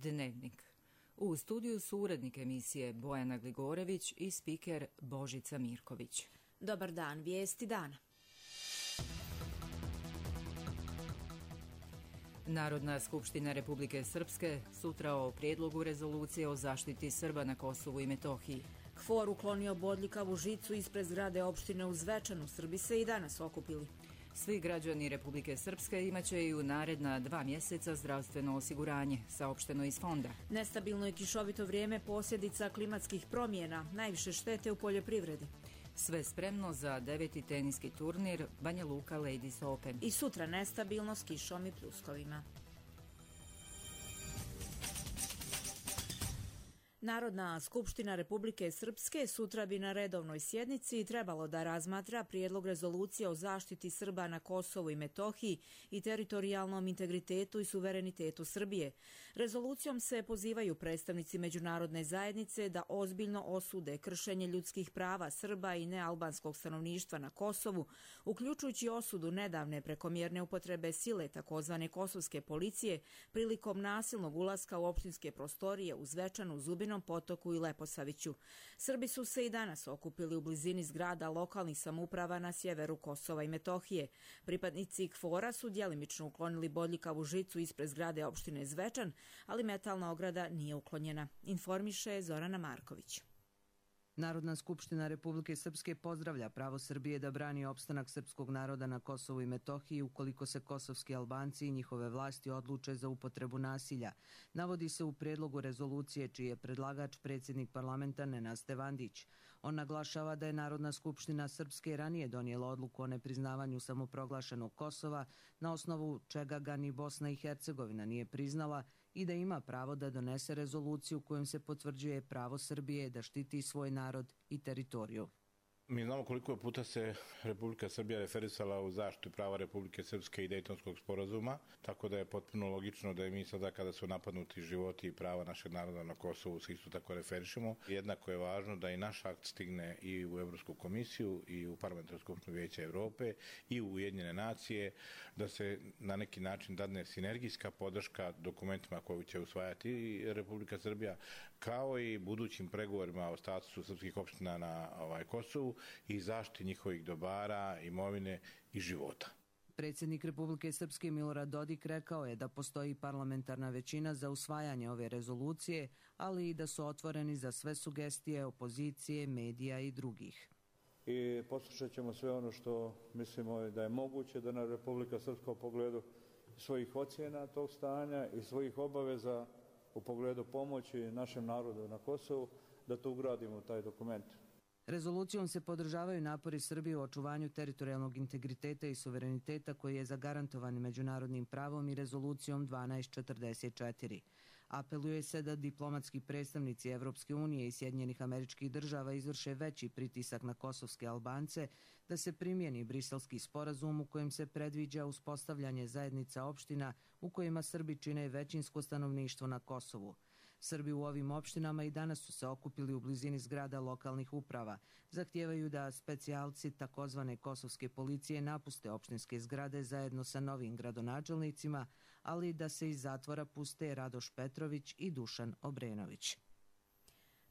Dnevnik. U studiju su urednik emisije Bojana Gligorević i spiker Božica Mirković. Dobar dan, vijesti dana. Narodna skupština Republike Srpske sutra o prijedlogu rezolucije o zaštiti Srba na Kosovu i Metohiji. KFOR uklonio bodljikavu žicu ispred zgrade opštine u Zvečanu. Srbi se i danas okupili. Svi građani Republike Srpske imaće i u naredna 2 mjeseca zdravstveno osiguranje, saopšteno iz fonda. Nestabilno i kišovito vrijeme posljedica klimatskih promjena, najviše štete u poljoprivredi. Sve spremno za 9. teniski turnir Banja Luka Ladies Open. I sutra nestabilno s kišom i pljuskovima. Narodna skupština Republike Srpske sutra bi na redovnoj sjednici trebalo da razmatra prijedlog rezolucije o zaštiti Srba na Kosovu i Metohiji i teritorijalnom integritetu i suverenitetu Srbije. Rezolucijom se pozivaju predstavnici međunarodne zajednice da ozbiljno osude kršenje ljudskih prava Srba i nealbanskog stanovništva na Kosovu, uključujući osudu nedavne prekomjerne upotrebe sile takozvane kosovske policije prilikom nasilnog ulaska u opštinske prostorije u Zvečanu, Zubinom Potoku i Leposaviću. Srbi su se i danas okupili u blizini zgrada lokalnih samouprava na sjeveru Kosova i Metohije. Pripadnici KFOR-a su djelimično uklonili bodljikavu žicu ispred zgrade opštine Zvečan, ali metalna ograda nije uklonjena, informiše Zorana Marković. Narodna skupština Republike Srpske pozdravlja pravo Srbije da brani opstanak srpskog naroda na Kosovu i Metohiji ukoliko se kosovski Albanci i njihove vlasti odluče za upotrebu nasilja. Navodi se u prijedlogu rezolucije čiji je predlagač predsjednik parlamenta Nenad Stevandić. On naglašava da je Narodna skupština Srpske ranije donijela odluku o nepriznavanju samoproglašenog Kosova, na osnovu čega ga ni Bosna i Hercegovina nije priznala, i da ima pravo da donese rezoluciju kojom se potvrđuje pravo Srbije da štiti svoj narod i teritoriju. Mi znamo koliko puta se Republika Srbija referisala u zaštitu prava Republike Srpske i Dejtonskog sporazuma, tako da je potpuno logično da i mi sada kada su napadnuti životi i prava našeg naroda na Kosovu se isto tako referišemo. Jednako je važno da i naš akt stigne i u Evropsku komisiju i u Parlamentarnu skupštinu Vijeća Evrope i u Ujedinjene nacije, da se na neki način dadne sinergijska podrška dokumentima koju će usvajati Republika Srbija, kao i budućim pregovorima o statusu srpskih opština na Kosovu i zaštiti njihovih dobara, imovine i života. Predsjednik Republike Srpske Milorad Dodik rekao je da postoji parlamentarna većina za usvajanje ove rezolucije, ali i da su otvoreni za sve sugestije opozicije, medija i drugih. I poslušat ćemo sve ono što mislimo da je moguće da na Republika Srpska u pogledu svojih ocjena tog stanja i svojih obaveza u pogledu pomoći našem narodu na Kosovu, da to ugradimo u taj dokument. Rezolucijom se podržavaju napori Srbije u očuvanju teritorijalnog integriteta i suvereniteta koji je zagarantovan međunarodnim pravom i rezolucijom 1244. Apeluje se da diplomatski predstavnici Evropske unije i Sjedinjenih Američkih Država izvrše veći pritisak na kosovske Albance, da se primjeni Briselski sporazum u kojem se predviđa uspostavljanje zajednica opština u kojima Srbi čine većinsko stanovništvo na Kosovu. Srbi u ovim opštinama i danas su se okupili u blizini zgrada lokalnih uprava. Zahtijevaju da specijalci takozvane kosovske policije napuste opštinske zgrade zajedno sa novim gradonačelnicima, ali da se iz zatvora puste Radoš Petrović i Dušan Obrenović.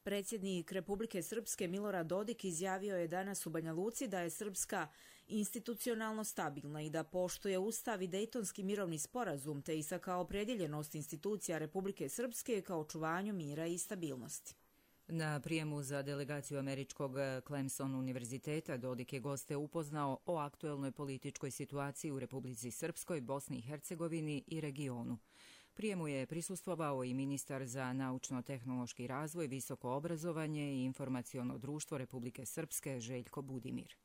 Predsjednik Republike Srpske Milorad Dodik izjavio je danas u Banja Luci da je Srpska institucionalno stabilna i da poštuje Ustav i Dejtonski mirovni sporazum, te istakao opredjeljenost institucija Republike Srpske kao očuvanju mira i stabilnosti. Na prijemu za delegaciju američkog Clemson univerziteta Dodik je goste upoznao o aktuelnoj političkoj situaciji u Republici Srpskoj, Bosni i Hercegovini i regionu. Prijemu je prisustvovao i ministar za naučno-tehnološki razvoj, visoko obrazovanje i informaciono društvo Republike Srpske Željko Budimir.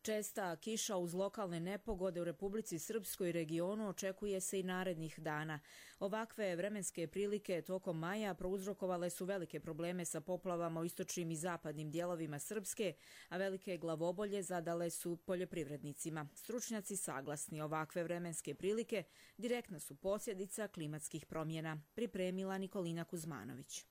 Česta kiša uz lokalne nepogode u Republici Srpskoj i regionu očekuje se i narednih dana. Ovakve vremenske prilike tokom maja prouzrokovale su velike probleme sa poplavama u istočnim i zapadnim dijelovima Srpske, a velike glavobolje zadale su poljoprivrednicima. Stručnjaci saglasni, ovakve vremenske prilike direktna su posljedica klimatskih promjena, pripremila Nikolina Kuzmanović.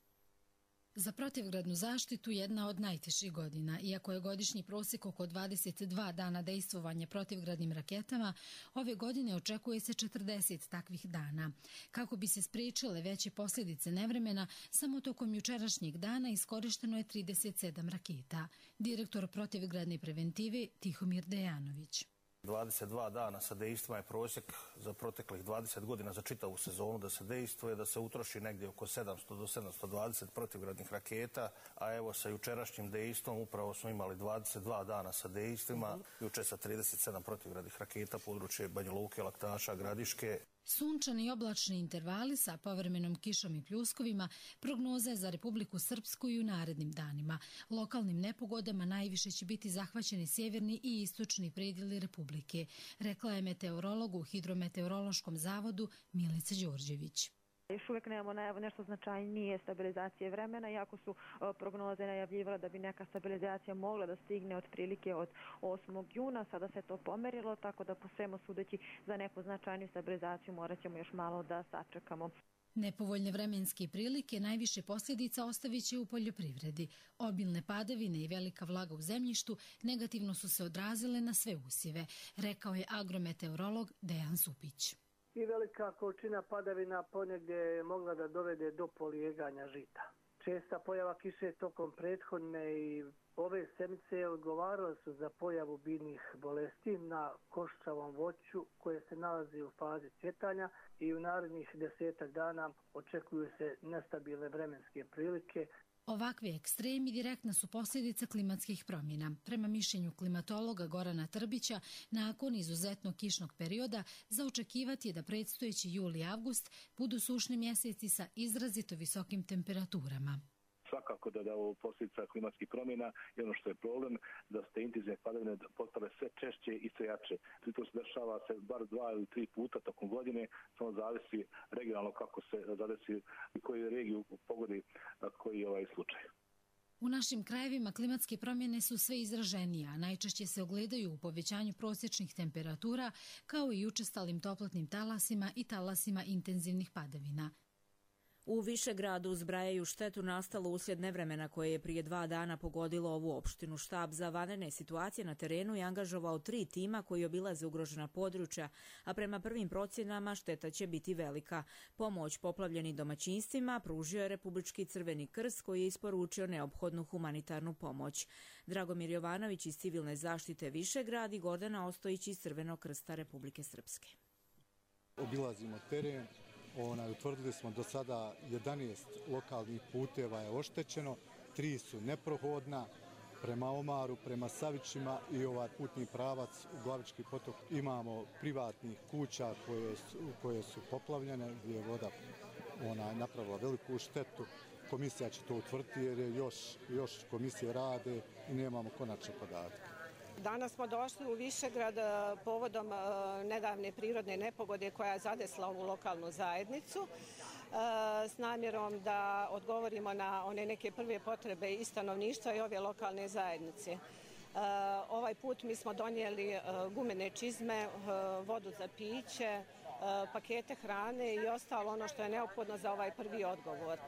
Za protivgradnu zaštitu jedna od najtežih godina. Iako je godišnji prosjek oko 22 dana dejstvovanja protivgradnim raketama, ove godine očekuje se 40 takvih dana. Kako bi se spriječile veće posljedice nevremena, samo tokom jučerašnjeg dana iskorišteno je 37 raketa. Direktor protivgradne preventive Tihomir Dejanović. 22 dana sa dejstvima je prosjek za proteklih 20 godina za čitavu sezonu da se dejstvuje, da se utroši negdje oko 700 do 720 protivgradnih raketa, a evo sa jučerašnjim dejstvom upravo smo imali 22 dana sa dejstvima, jučer sa 37 protivgradnih raketa područje Banja Luke, Laktaša, Gradiške. Sunčani i oblačni intervali sa povremenom kišom i pljuskovima prognoza je za Republiku Srpsku i u narednim danima. Lokalnim nepogodama najviše će biti zahvaćeni sjeverni i istočni predjeli Republike, rekla je meteorolog u Hidrometeorološkom zavodu Milica Đorđević. Još uvijek nemamo nešto značajnije stabilizacije vremena, iako su prognoze najavljivale da bi neka stabilizacija mogla da stigne otprilike od 8. juna. Sada se to pomerilo, tako da po svemu sudeći za neku značajniju stabilizaciju morat ćemo još malo da sačekamo. Nepovoljne vremenske prilike najviše posljedica ostavit će u poljoprivredi. Obilne padavine i velika vlaga u zemljištu negativno su se odrazile na sve usjeve, rekao je agrometeorolog Dejan Supić. I velika količina padavina ponegdje je mogla da dovede do polijeganja žita. Česta pojava kiše tokom prethodne i ove sedmice odgovarale su za pojavu biljnih bolesti na koščavom voću koje se nalazi u fazi cvjetanja i u narednih 10 dana očekuju se nestabilne vremenske prilike. Ovakvi ekstremi direktna su posljedica klimatskih promjena. Prema mišljenju klimatologa Gorana Trbića, nakon izuzetno kišnog perioda za očekivati je da predstojeći jul i avgust budu sušni mjeseci sa izrazito visokim temperaturama. Svakako da je ovo posljedica klimatskih promjena i ono što je problem da ste intenzivne padavine postale sve češće i sve jače. To se dešava se bar 2 ili 3 puta tokom godine, samo zavisi regionalno kako se zadesi i koju regiju pogodi koji je ovaj slučaj. U našim krajevima klimatske promjene su sve izraženije, a najčešće se ogledaju u povećanju prosječnih temperatura kao i učestalim toplotnim talasima i talasima intenzivnih padavina. U Višegradu zbrajaju štetu nastalu uslijed nevremena koje je prije 2 dana pogodilo ovu opštinu. Štab za vanredne situacije na terenu je angažovao 3 tima koji obilaze ugrožena područja, a prema prvim procjenama šteta će biti velika. Pomoć poplavljenim domaćinstvima pružio je Republički Crveni krst koji je isporučio neophodnu humanitarnu pomoć. Dragomir Jovanović iz Civilne zaštite Višegrad i Gordana Ostojić iz Crvenog krsta Republike Srpske. Obilazimo teren. Utvrdili smo do sada 11 lokalnih puteva je oštećeno, 3 su neprohodna prema Omaru, prema Savićima i ovaj putni pravac u Glavički potok. Imamo privatnih kuća koje su poplavljene gdje je voda napravila veliku štetu. Komisija će to utvrditi jer je još komisije rade i nemamo konačne podatke. Danas smo došli u Višegrad povodom nedavne prirodne nepogode koja je zadesla ovu lokalnu zajednicu s namjerom da odgovorimo na one neke prve potrebe i stanovništva i ove lokalne zajednice. Ovaj put mi smo donijeli gumene čizme, vodu za piće, pakete hrane i ostalo ono što je neophodno za ovaj prvi odgovor.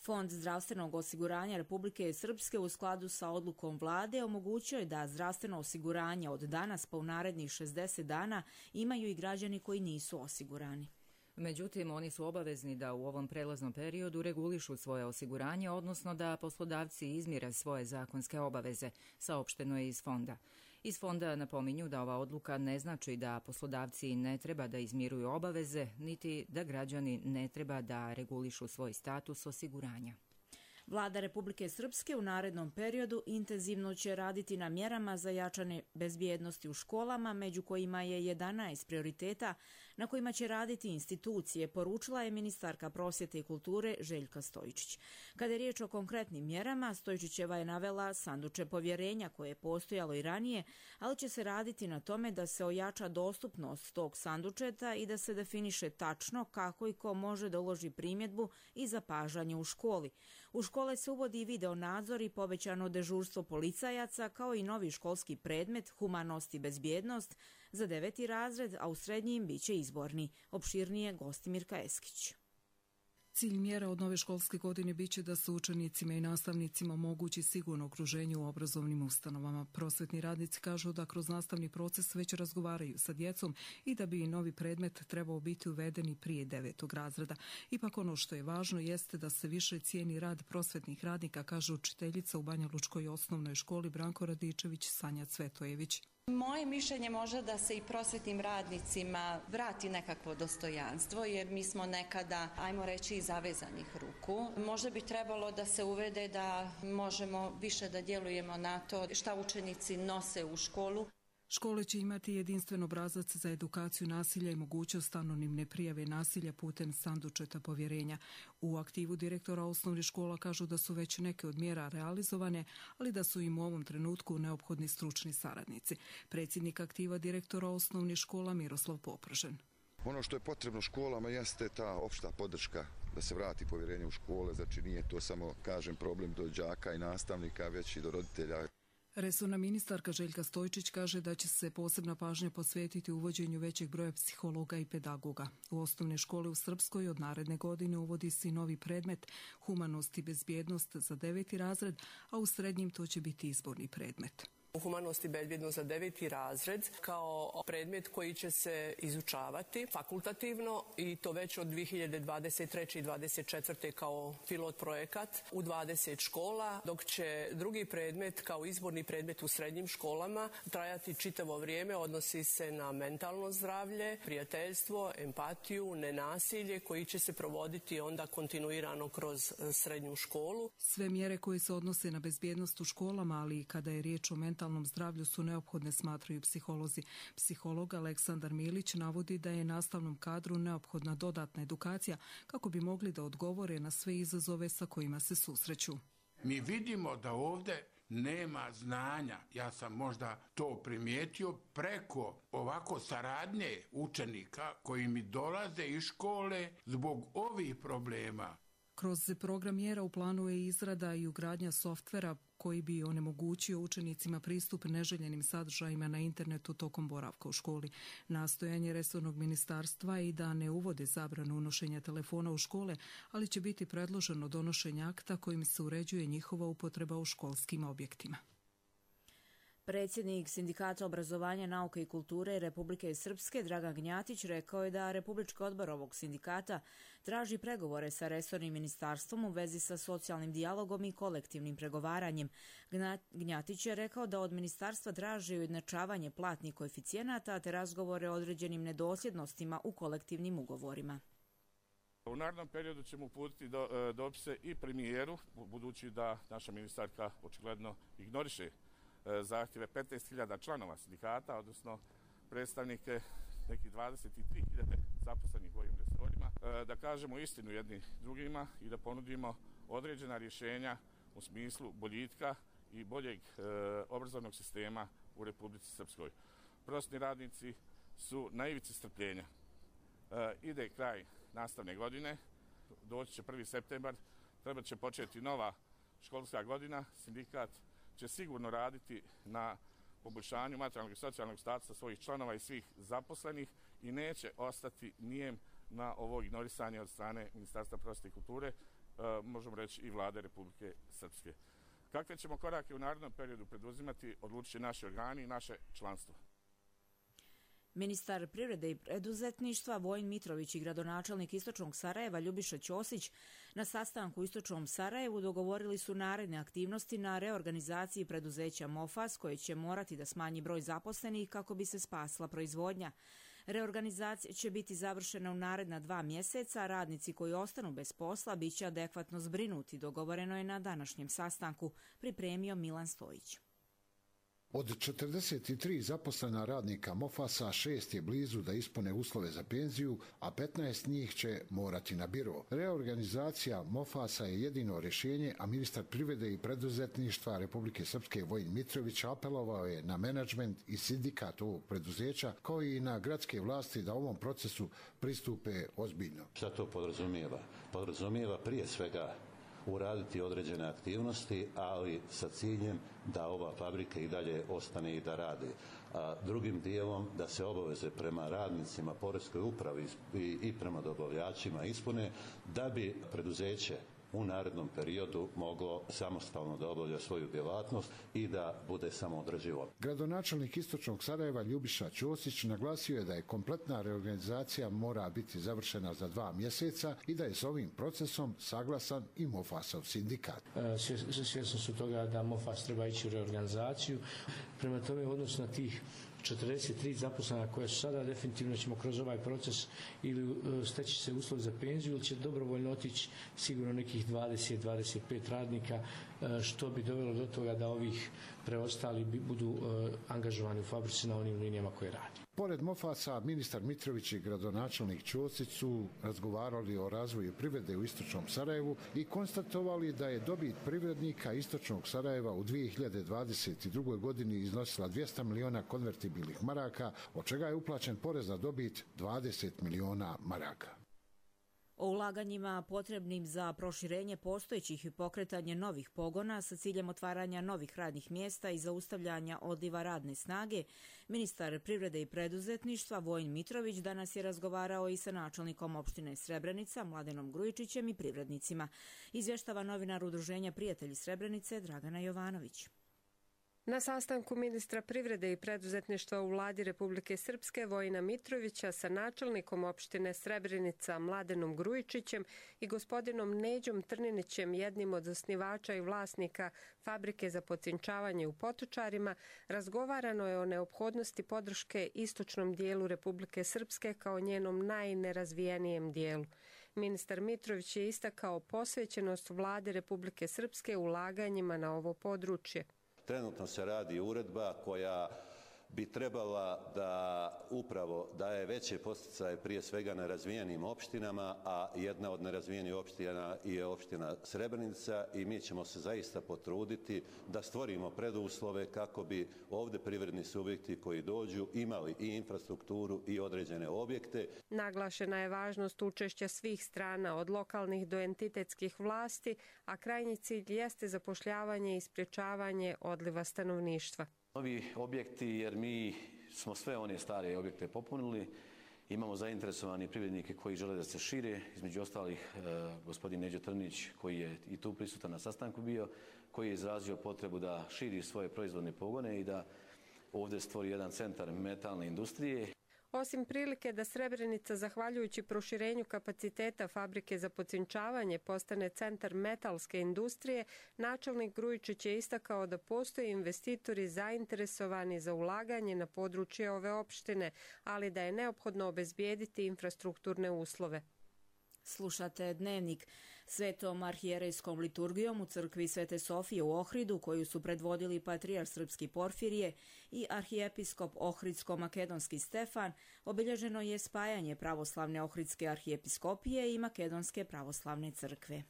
Fond zdravstvenog osiguranja Republike Srpske u skladu sa odlukom vlade omogućio je da zdravstveno osiguranje od danas pa u narednih 60 dana imaju i građani koji nisu osigurani. Međutim, oni su obavezni da u ovom prelaznom periodu regulišu svoje osiguranje, odnosno da poslodavci izmire svoje zakonske obaveze, saopšteno je iz fonda. Iz fonda napominju da ova odluka ne znači da poslodavci ne treba da izmiruju obaveze, niti da građani ne treba da regulišu svoj status osiguranja. Vlada Republike Srpske u narednom periodu intenzivno će raditi na mjerama za jačanje bezbjednosti u školama, među kojima je 11 prioriteta na kojima će raditi institucije, poručila je ministarka prosvjete i kulture Željka Stojičić. Kada je riječ o konkretnim mjerama, Stojičićeva je navela sanduče povjerenja koje je postojalo i ranije, ali će se raditi na tome da se ojača dostupnost tog sandučeta i da se definiše tačno kako i ko može da uloži primjedbu i zapažanje u školi. U škole se uvodi i video nadzor i povećano dežurstvo policajaca kao i novi školski predmet humanost i bezbjednost za 9. razred, a u srednjim biće izborni. Opširnije Gostimirka Eskić. Cilj mjera od nove školske godine biće da se učenicima i nastavnicima omogući sigurno okruženje u obrazovnim ustanovama. Prosvetni radnici kažu da kroz nastavni proces već razgovaraju sa djecom i da bi i novi predmet trebao biti uveden i prije 9. razreda. Ipak ono što je važno jeste da se više cijeni rad prosvetnih radnika, kaže učiteljica u Banjalučkoj osnovnoj školi Branko Radičević Sanja Cvetojević. Moje mišljenje možda da se i prosvetnim radnicima vrati nekakvo dostojanstvo, jer mi smo nekada, ajmo reći, zavezanih ruku. Možda bi trebalo da se uvede da možemo više da djelujemo na to šta učenici nose u školu. Škole će imati jedinstven obrazac za edukaciju nasilja i mogućnost anonimne prijave nasilja putem sandučeta povjerenja. U aktivu direktora osnovnih škola kažu da su već neke od mjera realizovane, ali da su im u ovom trenutku neophodni stručni saradnici. Predsjednik aktiva direktora osnovnih škola Miroslav Popržen. Ono što je potrebno školama jeste ta opšta podrška da se vrati povjerenje u škole, znači nije to samo, kažem, problem do đaka i nastavnika, već i do roditelja. Resorna ministarka Željka Stojčić kaže da će se posebna pažnja posvetiti uvođenju većeg broja psihologa i pedagoga. U osnovne škole u Srpskoj od naredne godine uvodi se i novi predmet humanost i bezbjednost za 9. razred, a u srednjim to će biti izborni predmet. Humanost i bezbjednost za 9. razred kao predmet koji će se izučavati fakultativno i to već od 2023. i 2024. kao pilot projekat u 20 škola, dok će drugi predmet kao izborni predmet u srednjim školama trajati čitavo vrijeme, odnosi se na mentalno zdravlje, prijateljstvo, empatiju, nenasilje koji će se provoditi onda kontinuirano kroz srednju školu. Sve mjere koje se odnose na bezbjednost u školama, ali i kada je riječ o mentalnom zdravlju su neophodne, smatraju psiholozi. Psiholog Aleksandar Milić navodi da je nastavnom kadru neophodna dodatna edukacija kako bi mogli da odgovore na sve izazove sa kojima se susreću. Mi vidimo da ovdje nema znanja. Ja sam možda to primijetio preko ovako saradnje učenika koji mi dolaze iz škole zbog ovih problema. Kroz program mjera u planu je izrada i ugradnja softvera koji bi onemogućio učenicima pristup neželjenim sadržajima na internetu tokom boravka u školi. Nastojanje resornog ministarstva i da ne uvode zabranu unošenja telefona u škole, ali će biti predloženo donošenje akta kojim se uređuje njihova upotreba u školskim objektima. Predsjednik Sindikata obrazovanja, nauke i kulture Republike Srpske Dragan Gnjatić rekao je da Republički odbor ovog sindikata traži pregovore sa resornim ministarstvom u vezi sa socijalnim dijalogom i kolektivnim pregovaranjem. Gnjatić je rekao da od ministarstva traži ujednačavanje platnih koeficijenata te razgovore o određenim nedosljednostima u kolektivnim ugovorima. U narednom periodu ćemo uputiti dopise i premijeru, budući da naša ministarka očigledno ignoriše zahtjeve 15.000 članova sindikata, odnosno predstavnike nekih 23.000 zaposlenih u ovim resorima, da kažemo istinu jedni drugima i da ponudimo određena rješenja u smislu boljitka i boljeg obrazovnog sistema u Republici Srpskoj. Prosvetni radnici su na ivici strpljenja. Ide kraj nastavne godine, doći će 1. septembar, treba će početi nova školska godina, sindikat će sigurno raditi na poboljšanju materijalnog i socijalnog statusa svojih članova i svih zaposlenih i neće ostati nijem na ovo ignorisanje od strane Ministarstva prosvjete i kulture, možemo reći i Vlade Republike Srpske. Kakve ćemo korake u narednom periodu preduzimati, odlučit naši organi i naše članstvo. Ministar privrede i preduzetništva Vojin Mitrović i gradonačelnik Istočnog Sarajeva Ljubiša Ćosić na sastanku u Istočnom Sarajevu dogovorili su naredne aktivnosti na reorganizaciji preduzeća MOFAS koje će morati da smanji broj zaposlenih kako bi se spasila proizvodnja. Reorganizacija će biti završena u naredna 2 mjeseca, a radnici koji ostanu bez posla bit će adekvatno zbrinuti, dogovoreno je na današnjem sastanku, pripremio Milan Stojić. Od 43 zaposlena radnika MOFAS-a 6 je blizu da ispune uslove za penziju, a 15 njih će morati na biro. Reorganizacija MOFAS-a je jedino rješenje, a ministar privrede i preduzetništva Republike Srpske Vojin Mitrović apelovao je na menadžment i sindikat ovog preduzeća, kao i na gradske vlasti da ovom procesu pristupe ozbiljno. Šta to podrazumijeva? Podrazumijeva prije svega uraditi određene aktivnosti, ali sa ciljem da ova fabrika i dalje ostane i da radi. Drugim dijelom da se obaveze prema radnicima, poreskoj upravi i prema dobavljačima ispune da bi preduzeće u narednom periodu moglo samostalno da obavlja svoju djelatnost i da bude samoodrživo. Gradonačelnik Istočnog Sarajeva Ljubiša Ćosić naglasio je da je kompletna reorganizacija mora biti završena za 2 mjeseca i da je s ovim procesom saglasan i Mofasov sindikat. Svjesni su toga da Mofas treba ići u reorganizaciju. Prema tome, u odnosu na tih 43 zaposlena koja su sada, definitivno ćemo kroz ovaj proces ili steći se uslov za penziju ili će dobrovoljno otići sigurno nekih 20-25 radnika, što bi dovelo do toga da ovih preostali budu angažovani u fabrici na onim linijama koje radi. Pored Mofasa, ministar Mitrović i gradonačelnik Ćosić su razgovarali o razvoju privrede u Istočnom Sarajevu i konstatovali da je dobit privrednika Istočnog Sarajeva u 2022. godini iznosila 200 miliona konvertibilnih maraka, od čega je uplaćen porez na dobit 20 miliona maraka. O ulaganjima potrebnim za proširenje postojećih i pokretanje novih pogona sa ciljem otvaranja novih radnih mjesta i zaustavljanja odliva radne snage, ministar privrede i preduzetništva Vojin Mitrović danas je razgovarao i sa načelnikom opštine Srebrenica Mladenom Grujičićem i privrednicima. Izvještava novinar Udruženja Prijatelji Srebrenice Dragana Jovanović. Na sastanku ministra privrede i preduzetništva u vladi Republike Srpske Vojina Mitrovića sa načelnikom opštine Srebrenica Mladenom Grujičićem i gospodinom Neđom Trninićem, jednim od osnivača i vlasnika fabrike za pocinčavanje u Potočarima, razgovarano je o neophodnosti podrške istočnom dijelu Republike Srpske kao njenom najnerazvijenijem dijelu. Ministar Mitrović je istakao posvećenost vlade Republike Srpske ulaganjima na ovo područje. Trenutno se radi uredba koja bi trebala da upravo daje veće podsticaje prije svega nerazvijenim opštinama, a jedna od nerazvijenih opština je opština Srebrenica i mi ćemo se zaista potruditi da stvorimo preduslove kako bi ovdje privredni subjekti koji dođu imali i infrastrukturu i određene objekte. Naglašena je važnost učešća svih strana od lokalnih do entitetskih vlasti, a krajnji cilj jeste zapošljavanje i sprječavanje odliva stanovništva. Novi objekti, jer mi smo sve one stare objekte popunili, imamo zainteresovani privrednike koji žele da se šire, između ostalih gospodin Neđo Trnić koji je i tu prisutan na sastanku bio, koji je izrazio potrebu da širi svoje proizvodne pogone i da ovdje stvori jedan centar metalne industrije. Osim prilike da Srebrenica, zahvaljujući proširenju kapaciteta fabrike za pocinčavanje, postane centar metalske industrije, načelnik Grujičić je istakao da postoje investitori zainteresovani za ulaganje na područje ove opštine, ali da je neophodno obezbijediti infrastrukturne uslove. Slušate Dnevnik. Svetom arhijerejskom liturgijom u crkvi Svete Sofije u Ohridu, koju su predvodili patrijarh srpski Porfirije i arhijepiskop ohridsko-makedonski Stefan, obilježeno je spajanje pravoslavne ohridske arhijepiskopije i makedonske pravoslavne crkve.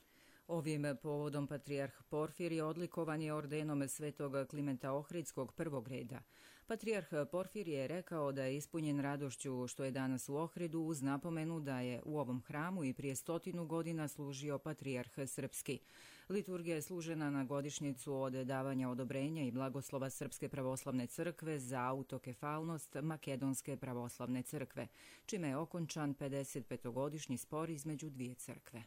Ovim povodom patrijarh Porfirije odlikovan je ordenom svetog Klimenta Ohridskog prvog reda. Patrijarh Porfirije je rekao da je ispunjen radošću što je danas u Ohridu uz napomenu da je u ovom hramu i prije 100 godina služio patrijarh srpski. Liturgija je služena na godišnjicu od davanja odobrenja i blagoslova Srpske pravoslavne crkve za autokefalnost Makedonske pravoslavne crkve, čime je okončan 55-godišnji spor između dvije crkve.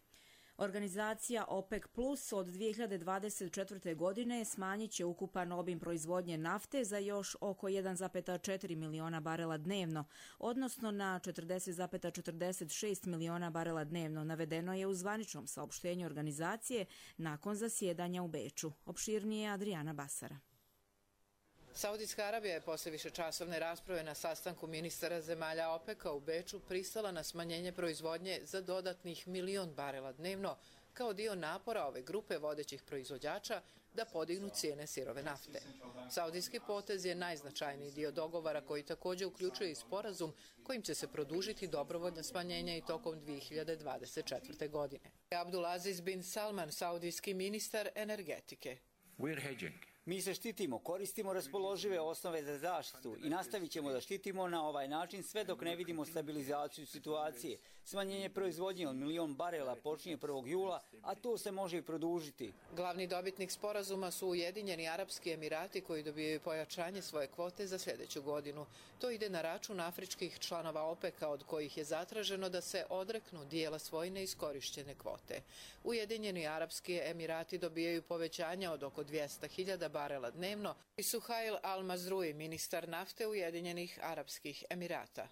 Organizacija OPEC Plus od 2024. godine smanjit će ukupan obim proizvodnje nafte za još oko 1,4 miliona barela dnevno, odnosno na 40,46 miliona barela dnevno, navedeno je u zvaničnom saopštenju organizacije nakon zasjedanja u Beču. Opširnije Adriana Basara. Saudijska Arabija je posle višečasovne rasprave na sastanku ministara zemalja OPEC-a u Beču pristala na smanjenje proizvodnje za dodatnih 1 milion barela dnevno kao dio napora ove grupe vodećih proizvođača da podignu cijene sirove nafte. Saudijski potez je najznačajniji dio dogovora koji također uključuje i sporazum kojim će se produžiti dobrovoljno smanjenje i tokom 2024. godine. Abdulaziz bin Salman, saudijski ministar energetike. We're hedging. Mi se štitimo, koristimo raspoložive osnove za zaštitu i nastavit ćemo da štitimo na ovaj način sve dok ne vidimo stabilizaciju situacije. Smanjenje proizvodnje od 1 milion barela počinje 1. jula, a to se može i produžiti. Glavni dobitnik sporazuma su Ujedinjeni Arapski Emirati koji dobijaju pojačanje svoje kvote za sljedeću godinu. To ide na račun afričkih članova OPEC-a od kojih je zatraženo da se odreknu dijela svoje neiskorišćene kvote. Ujedinjeni Arapski Emirati dobijaju povećanja od oko 200.000 barela dnevno i Suhail Al-Mazrui, ministar nafte Ujedinjenih Arapskih Emirata.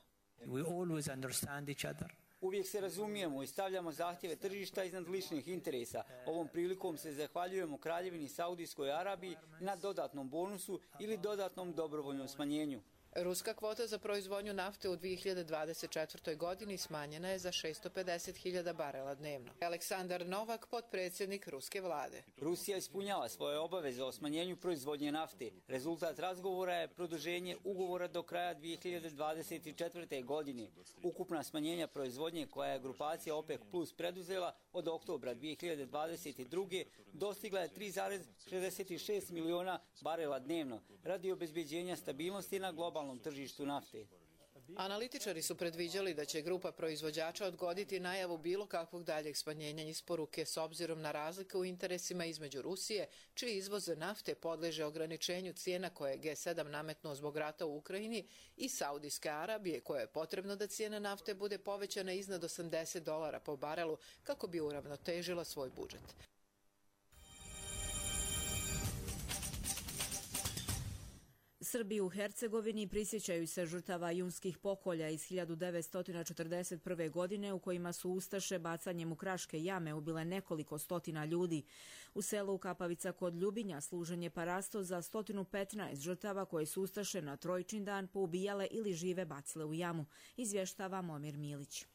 Uvijek se razumijemo i stavljamo zahtjeve tržišta iznad ličnih interesa. Ovom prilikom se zahvaljujemo Kraljevini Saudijskoj Arabiji na dodatnom bonusu ili dodatnom dobrovoljnom smanjenju. Ruska kvota za proizvodnju nafte u 2024. godini smanjena je za 650.000 barela dnevno. Aleksandar Novak, potpredsjednik ruske vlade. Rusija ispunjava svoje obaveze o smanjenju proizvodnje nafte. Rezultat razgovora je produženje ugovora do kraja 2024. godine. Ukupna smanjenja proizvodnje koja je grupacija OPEC Plus preduzela od oktobra 2022. dostigla je 3,66 miliona barela dnevno radi obezbeđenja stabilnosti na globalnom tržištu nafte. Analitičari su predviđali da će grupa proizvođača odgoditi najavu bilo kakvog daljeg smanjenja isporuke s obzirom na razlike u interesima između Rusije, čiji izvoz nafte podleže ograničenju cijena koje je G7 nametnuo zbog rata u Ukrajini, i Saudijske Arabije, koje je potrebno da cijena nafte bude povećana iznad $80 po barelu kako bi uravnotežila svoj budžet. Srbi u Hercegovini prisjećaju se žrtava junskih pokolja iz 1941. godine u kojima su ustaše bacanjem u kraške jame ubile nekoliko stotina ljudi. U selu Kapavica kod Ljubinja služen je parasto za 115 žrtava koje su ustaše na Trojčin dan poubijale ili žive bacile u jamu, izvještava Momir Milić.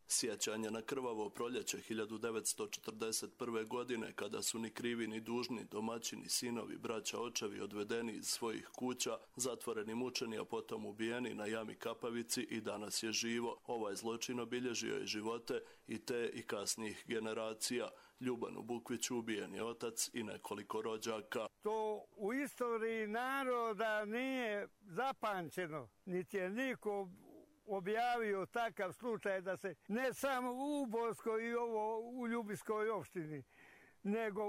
Sjećanje na krvavo proljeće 1941. godine, kada su ni krivi ni dužni domaćini, sinovi, braća, očevi odvedeni iz svojih kuća, zatvoreni, mučeni, a potom ubijeni na jami Kapavici, i danas je živo. Ovaj zločin obilježio je živote i te i kasnijih generacija. Ljubanu Bukviću ubijen je otac i nekoliko rođaka. To u istoriji naroda nije zapamćeno, niti je niko objavio takav slučaj da se ne samo u Borskoj i ovo u Ljubinskoj opštini, nego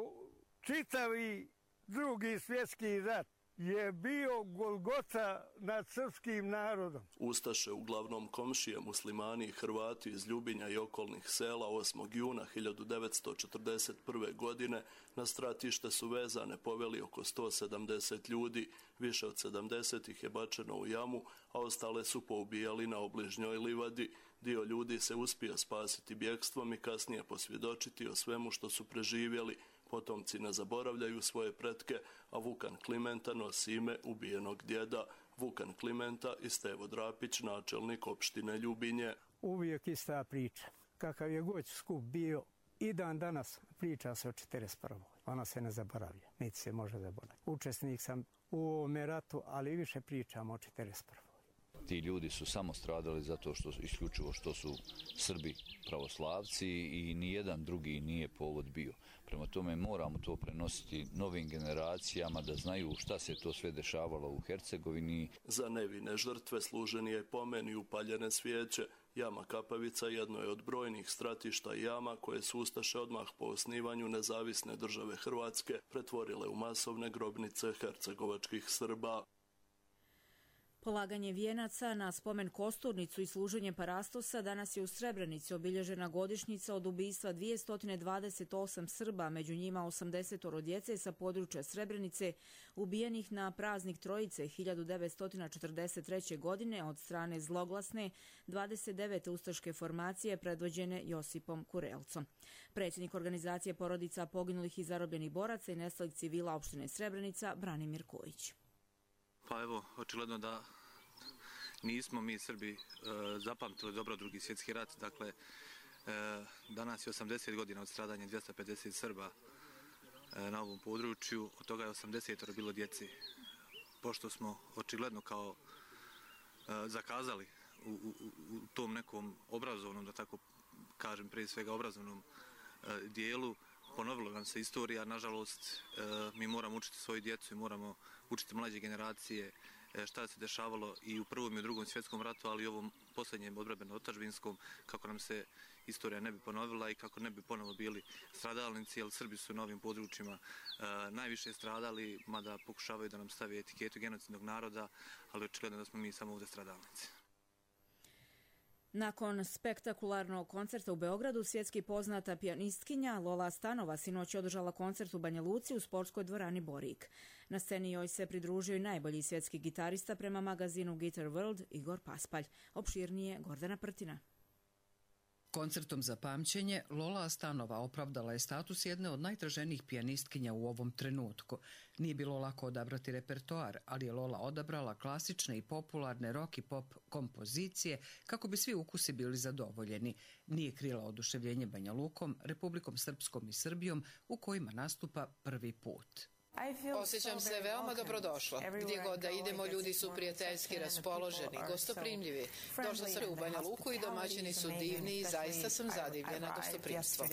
čitavi Drugi svjetski rat je bio Golgota nad srpskim narodom. Ustaše, uglavnom komšije, muslimani i Hrvati iz Ljubinja i okolnih sela, 8. juna 1941. godine na stratište su vezane poveli oko 170 ljudi, više od 70 ih je bačeno u jamu, a ostale su poubijali na obližnjoj livadi. Dio ljudi se uspio spasiti bjegstvom i kasnije posvjedočiti o svemu što su preživjeli. Potomci ne zaboravljaju svoje pretke, a Vukan Klimenta nosi ime ubijenog djeda. Vukan Klimenta i Stevo Drapić, načelnik opštine Ljubinje. Uvijek ista priča. Kakav je god skup bio, i dan danas priča se o 41. Ona se ne zaboravlja, niti se može zaboraviti. Učesnik sam u ovome ratu, ali više pričam o 41. Ti ljudi su samo stradali zato što isključivo što su Srbi pravoslavci i nijedan drugi nije povod bio. Prema tome moramo to prenositi novim generacijama da znaju šta se to sve dešavalo u Hercegovini. Za nevine žrtve služen je pomen i upaljene svijeće. Jama Kapavica jedno je od brojnih stratišta jama koje su ustaše odmah po osnivanju nezavisne države Hrvatske pretvorile u masovne grobnice hercegovačkih Srba. Polaganje vijenaca na spomen kosturnicu i služenje parastosa danas je u Srebrenici obilježena godišnjica od ubistva 228 Srba, među njima 80 djece sa područja Srebrenice, ubijenih na praznik Trojice 1943. godine od strane zloglasne 29. ustaške formacije predvođene Josipom Kurelcom. Predsjednik organizacije porodica poginulih i zarobljenih boraca i nestalih civila opštine Srebrenica, Branimir Kojić. Pa evo, očigledno da nismo mi Srbi zapamtili dobro Drugi svjetski rat. Dakle, danas je 80 godina od stradanja 250 Srba na ovom području, od toga je 80 bilo djeci. Pošto smo očigledno kao zakazali u tom nekom obrazovnom, da tako kažem, prije svega obrazovnom dijelu, ponovila nam se istorija. Nažalost, mi moramo učiti svoju djecu i moramo učiti mlađe generacije šta se dešavalo i u Prvom i u Drugom svjetskom ratu, ali i ovom posljednjem odbrambeno-otadžbinskom, kako nam se istorija ne bi ponovila i kako ne bi ponovo bili stradalnici, jer Srbi su na ovim područjima najviše stradali, mada pokušavaju da nam stavi etiketu genocidnog naroda, ali očigledno da smo mi samo ovdje stradalnici. Nakon spektakularnog koncerta u Beogradu, svjetski poznata pijanistkinja Lola Stanova sinoć održala koncert u Banja Luci u sportskoj dvorani Borik. Na sceni joj se pridružio i najbolji svjetski gitarista prema magazinu Guitar World Igor Paspalj. Opširnije Gordana Prtina. Koncertom za pamćenje Lola Stanova opravdala je status jedne od najtraženijih pijanistkinja u ovom trenutku. Nije bilo lako odabrati repertoar, ali je Lola odabrala klasične i popularne rock i pop kompozicije kako bi svi ukusi bili zadovoljeni. Nije krila oduševljenje Banja Lukom, Republikom Srpskom i Srbijom u kojima nastupa prvi put. Osjećam se veoma dobrodošlo. Gdje god da idemo, ljudi su prijateljski raspoloženi, gostoprimljivi. Došla sam u Banja Luku i domaćini su divni i zaista sam zadivljena gostoprimstvom.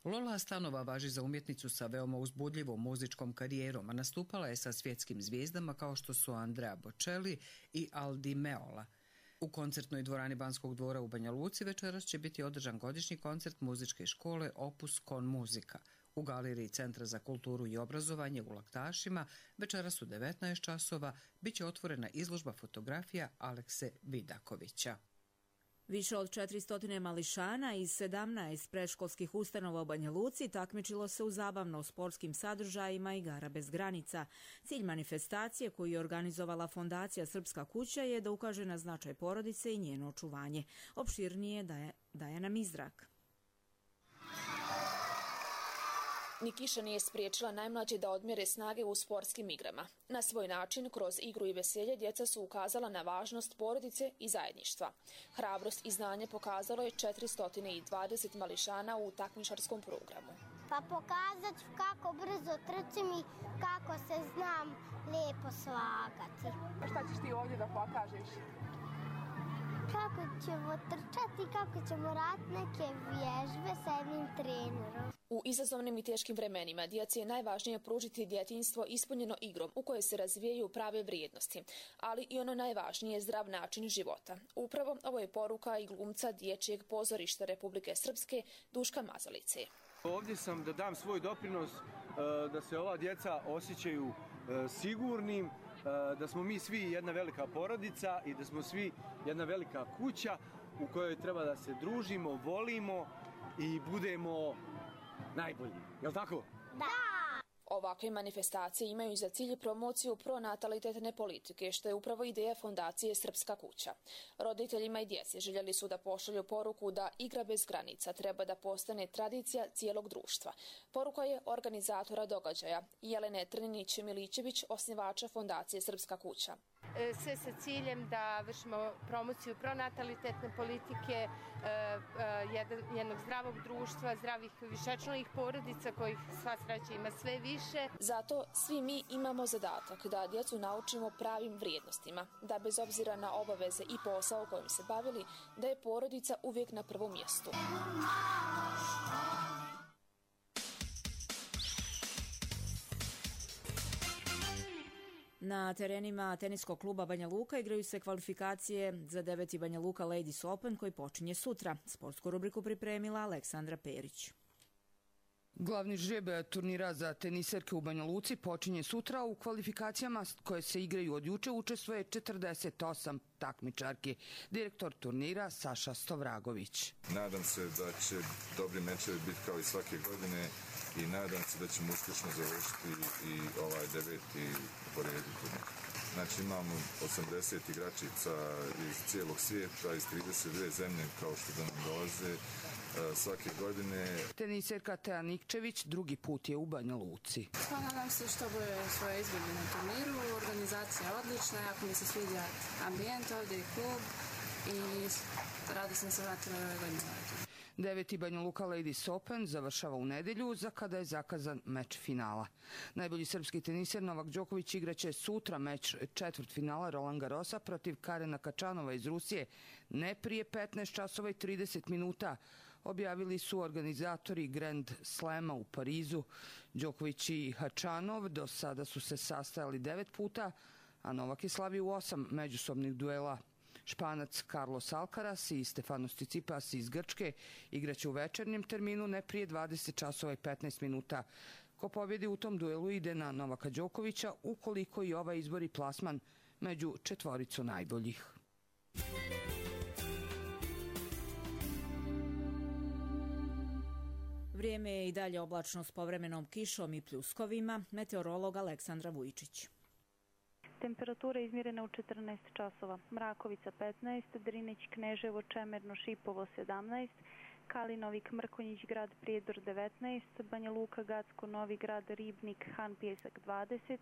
Lola Stanova važi za umjetnicu sa veoma uzbudljivom muzičkom karijerom, a nastupala je sa svjetskim zvijezdama kao što su Andrea Bocelli i Aldi Meola. U koncertnoj dvorani Banskog dvora u Banja Luci večeras će biti održan godišnji koncert muzičke škole Opus Con Musica. U galeriji Centra za kulturu i obrazovanje u Laktašima večeras u 19 časova bit će otvorena izložba fotografija Alekse Vidakovića. Više od 400 mališana iz 17 predškolskih ustanova u Banja Luci takmičilo se u zabavno-sportskim sadržajima Igara bez granica. Cilj manifestacije koju je organizovala Fondacija Srpska kuća je da ukaže na značaj porodice i njeno očuvanje. Opširnije daje nam Izrak. Ni kiša nije spriječila najmlađe da odmjere snage u sportskim igrama. Na svoj način, kroz igru i veselje, djeca su ukazala na važnost porodice i zajedništva. Hrabrost i znanje pokazalo je 420 mališana u takmičarskom programu. Pa pokazat ću kako brzo trčim i kako se znam lijepo slagati. A šta ćeš ti ovdje da pokažeš? Kako ćemo trčati, kako ćemo raditi neke vježbe sa jednim trenerom. U izazovnim i teškim vremenima djeci je najvažnije pružiti djetinjstvo ispunjeno igrom u kojoj se razvijaju prave vrijednosti, ali i ono najvažnije je zdrav način života. Upravo ovo je poruka i glumca Dječjeg pozorišta Republike Srpske Duška Mazalice. Ovdje sam da dam svoj doprinos da se ova djeca osjećaju sigurnim, da smo mi svi jedna velika porodica i da smo svi jedna velika kuća u kojoj treba da se družimo, volimo i budemo najbolji. Je li tako? Da! Ovakve manifestacije imaju za cilj promociju pronatalitetne politike, što je upravo ideja Fondacije Srpska kuća. Roditeljima i djeci željeli su da pošalju poruku da igra bez granica treba da postane tradicija cijelog društva. Poruka je organizatora događaja Jelene Trninić-Milićević, osnivača Fondacije Srpska kuća. Sve sa ciljem da vršimo promociju pronatalitetne politike, jednog zdravog društva, zdravih višečlanih porodica kojih sva sreća ima sve više. Zato svi mi imamo zadatak da djecu naučimo pravim vrijednostima, da bez obzira na obaveze i posao kojim se bavili, da je porodica uvijek na prvom mjestu. Na terenima teniskog kluba Banja Luka igraju se kvalifikacije za 9. Banja Luka Ladies Open koji počinje sutra. Sportsku rubriku pripremila Aleksandra Perić. Glavni žreb turnira za teniserke u Banja Luci počinje sutra. U kvalifikacijama koje se igraju od juče učestvuje 48 takmičarki. Direktor turnira Saša Stovragović. Nadam se da će dobri mečevi biti kao i svake godine i nadam se da ćemo uspješno završiti i ovaj 9. po redu turnira. Znači imamo 80 igračica iz cijelog svijeta, iz 32 zemlje kao što da nam dolaze svake godine. Teniserka Teja Nikčević drugi put je u Banja Luci. Nadam se što bude svoje izvedbe na turniru. Organizacija je odlična, jako mi se sviđa ambijent ovdje i klub i rado sam se vratila ove godine. 9. Banja Luka Ladies Open završava u nedjelju, za kada je zakazan meč finala. Najbolji srpski teniser Novak Đoković igraće sutra meč četvrtfinala Roland Garrosa protiv Karena Kačanova iz Rusije, ne prije 15 časova i 30 minuta objavili su organizatori Grand Slama u Parizu. Đoković i Hačanov do sada su se sastajali 9 puta, a Novak je slavio u 8 međusobnih duela. Španac Carlos Alcaraz i Stefanos Tsitsipas iz Grčke igraće u večernjem terminu ne prije 20 časova i 15 minuta. Ko pobjedi u tom duelu ide na Novaka Đokovića ukoliko i ovaj izbori plasman među četvoricu najboljih. Vrijeme je i dalje oblačno s povremenom kišom i pljuskovima. Meteorolog Aleksandra Vujčić. Temperatura izmjerena u 14 časova. Mrakovica 15, Drinić, Kneževo, Čemerno, Šipovo 17, Kalinovik, Mrkonjić, Grad Prijedor 19, Banja Luka, Gacko, Novi Grad, Ribnik, Han Pjesak 20,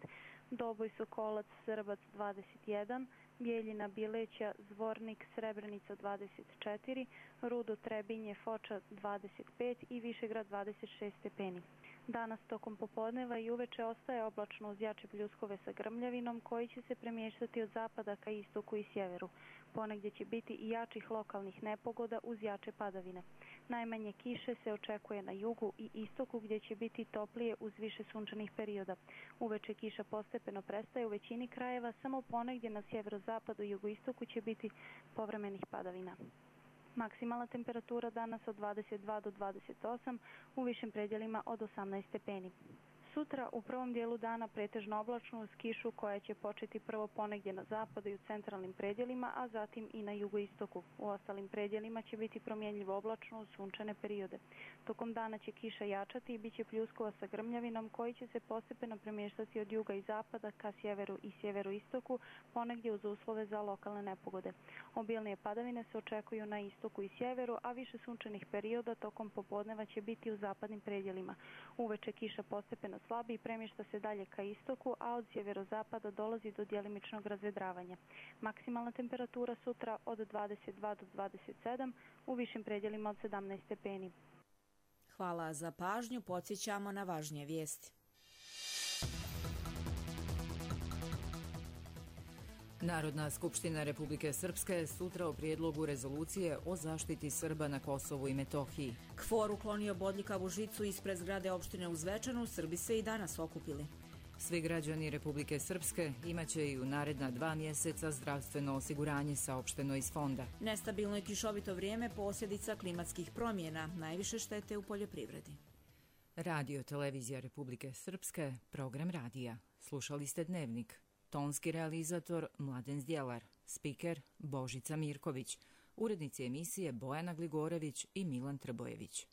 Doboj, Sokolac, Srbac 21, Bijeljina, Bileća, Zvornik, Srebrenica 24, Rudo, Trebinje, Foča 25 i Višegrad 26 stepeni. Danas tokom popodneva i uveče ostaje oblačno uz jače pljuskove sa grmljavinom koji će se premještati od zapada ka istoku i sjeveru. Ponegdje će biti i jačih lokalnih nepogoda uz jače padavine. Najmanje kiše se očekuje na jugu i istoku gdje će biti toplije uz više sunčanih perioda. Uveče kiša postepeno prestaje u većini krajeva, samo ponegdje na sjeverozapadu i jugoistoku će biti povremenih padavina. Maksimalna temperatura danas od 22 do 28, u višim predjelima od 18 stepeni. Sutra u prvom dijelu dana pretežno oblačno uz kišu koja će početi prvo ponegdje na zapadu i u centralnim predjelima, a zatim i na jugoistoku. U ostalim predjelima će biti promjenljivo oblačno uz sunčane periode. Tokom dana će kiša jačati i bit će pljuskova sa grmljavinom koji će se postepeno premještati od juga i zapada ka sjeveru i sjeveroistoku, ponegdje uz uslove za lokalne nepogode. Obilnije padavine se očekuju na istoku i sjeveru, a više sunčanih perioda tokom popodneva će biti u zapadnim predjelima. Uveče kiša postepeno slabi i premješta se dalje ka istoku, a od sjeverozapada dolazi do djelimičnog razvedravanja. Maksimalna temperatura sutra od 22 do 27, u višim predjelima od 17 stepeni. Hvala za pažnju, podsjećamo na važnije vijesti. Narodna skupština Republike Srpske sutra o prijedlogu rezolucije o zaštiti Srba na Kosovu i Metohiji. KFOR uklonio bodljikavu žicu ispred zgrade opštine u Zvečanu, Srbi se i danas okupili. Svi građani Republike Srpske imaće i u naredna 2 mjeseca zdravstveno osiguranje saopšteno iz fonda. Nestabilno i kišovito vrijeme posljedica klimatskih promjena, najviše štete u poljoprivredi. Radio Televizija Republike Srpske, program radija. Slušali ste Dnevnik. Tonski realizator Mladen Zdjelar, spiker Božica Mirković, urednici emisije Bojana Gligorević i Milan Trbojević.